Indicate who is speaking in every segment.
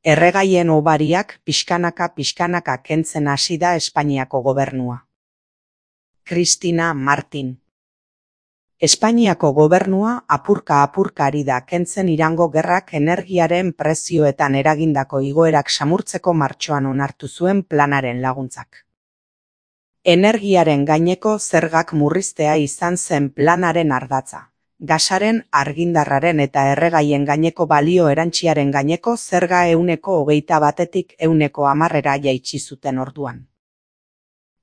Speaker 1: Erregaien hobariak pixkanaka kentzen hasi da Espainiako gobernua. Cristina Martín. Espainiako gobernua apurka ari da kentzen Irango gerrak energiaren prezioetan eragindako igoerak samurtzeko martxoan onartu zuen planaren laguntzak. Energiaren gaineko zergak murriztea izan zen planaren ardatza. Gasaren, argindarraren eta erregaien gaineko balio erantsiaren gaineko zerga 21%tik 10%ra jaitsi zuten orduan.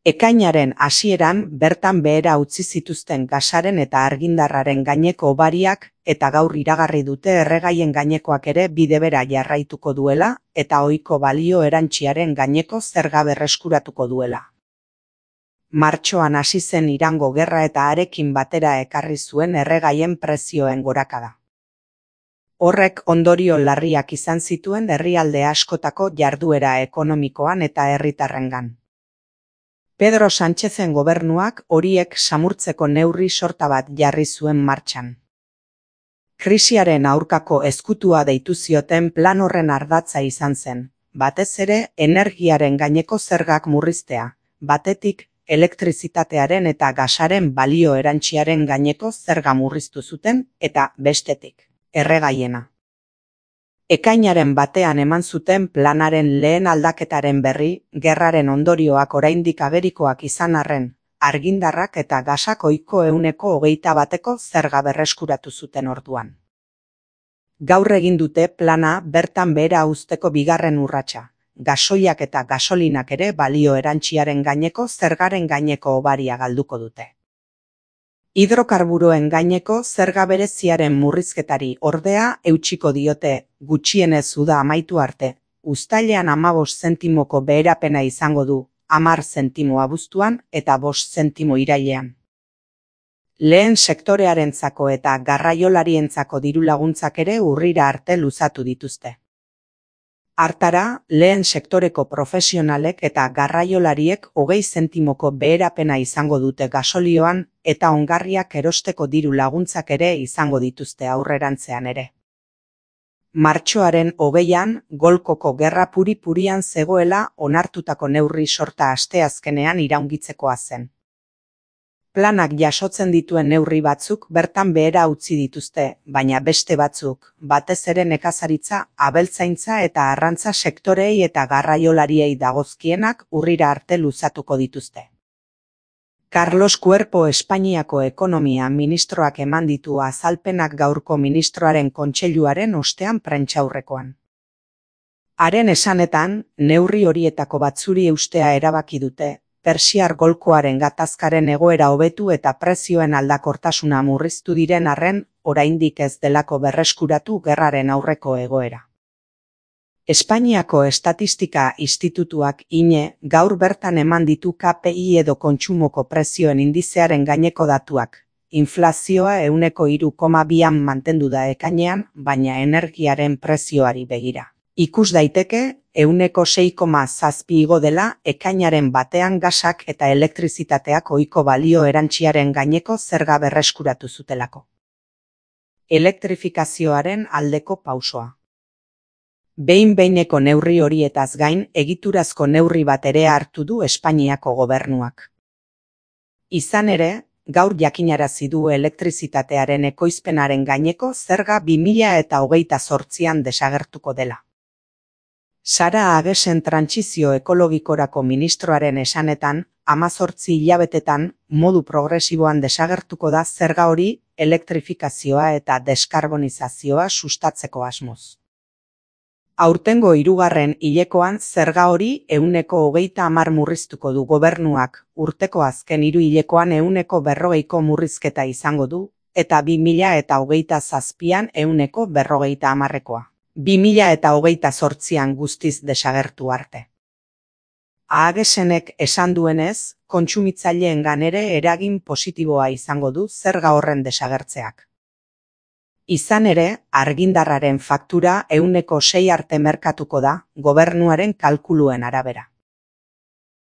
Speaker 1: Ekainaren hasieran bertan behera utzi zituzten gasaren eta argindarraren gaineko hobariak eta gaur iragarri dute erregaien gainekoak ere bide bera jarraituko duela eta ohiko balio erantsiaren gaineko zerga berreskuratuko duela. Martxoan hasi zen Irango gerra eta harekin batera ekarri zuen erregaien prezioen gorakada. Horrek ondorio larriak izan zituen herrialde askotako jarduera ekonomikoan eta herritarrengan. Pedro Sánchezen gobernuak horiek samurtzeko neurri sorta bat jarri zuen martxan. Krisiaren aurkako ezkutua deitu zioten plan horren ardatza izan zen, batez ere energiaren gaineko zergak murriztea, batetik elektrizitatearen eta gasaren balio erantsiaren gaineko zerga murriztu zuten eta bestetik, erregaiena. Ekainaren batean eman zuten planaren lehen aldaketaren berri, gerraren ondorioak oraindik agerikoak izan arren, argindarrak eta gasak ohiko 21%ko zerga berreskuratu zuten orduan. Gaur egin dute plana bertan behera uzteko bigarren urratsa. Gasoiak eta gasolinak ere balio erantsiaren gaineko zergaren gaineko hobaria galduko dute. Hidrokarburoen gaineko zerga bereziaren murrizketari ordea eutsiko diote, gutxienez uda amaitu arte, uztailean 15 zentimoko beherapena izango du, 10 zentimo abuztuan eta 5 zentimo irailean. Lehen sektorearentzako eta garraiolarientzako diru laguntzak ere urrira arte luzatu dituzte. Hartara, lehen sektoreko profesionalek eta garraiolariek 20 zentimoko beherapena izango dute gasolioan eta ongarriak erosteko diru laguntzak ere izango dituzte aurrerantzean ere. Martxoaren 20an, Golkoko gerra puri-purian zegoela onartutako neurri sorta asteazkenean iraungitzekoa zen. Planak jasotzen dituen neurri batzuk bertan behera utzi dituzte, baina beste batzuk, batez ere nekazaritza, abeltzaintza eta arrantza sektorei eta garraiolariei dagozkienak urrira arte luzatuko dituzte. Carlos Cuerpo Espainiako ekonomia ministroak eman ditu azalpenak gaurko ministroaren kontseiluaren ostean prentsaurrekoan. Haren esanetan, neurri horietako batzuri eustea erabaki dute, Persiar golkoaren gatazkaren egoera hobetu eta prezioen aldakortasuna murriztu diren arren, oraindik ez delako berreskuratu gerraren aurreko egoera. Espainiako Estatistika Institutuak INE gaur bertan eman ditu KPI edo kontsumoko prezioen indizearen gaineko datuak. Inflazioa 3,2an mantendu da ekainean, baina energiaren prezioari begira. Ikus daiteke, 6,7 igo dela ekainaren batean gasak eta elektrizitateak ohiko balio erantsiaren gaineko zerga berreskuratu zutelako. Elektrifikazioaren aldeko pausoa. Behin-behineko neurri horietaz gain egiturazko neurri bat ere hartu du Espainiako gobernuak. Izan ere, gaur jakinarazi du elektrizitatearen ekoizpenaren gaineko zerga 2028an desagertuko dela. Sara Agesen trantsizio ekologikorako ministroaren esanetan, 18 hilabetetan modu progresiboan desagertuko da zerga hori elektrifikazioa eta deskarbonizazioa sustatzeko asmoz. Aurtengo 3. hilekoan zerga hori 20% murriztuko du gobernuak, urteko azken 3 hilekoan 40%ko murrizketa izango du, eta 2027an 40%koa. 2028an guztiz desagertu arte. Agesenek esan duenez, kontsumitzaileengan ere eragin positiboa izango du zerga horren desagertzeak. Izan ere, argindarraren faktura 6% arte merkatuko da, gobernuaren kalkuluen arabera.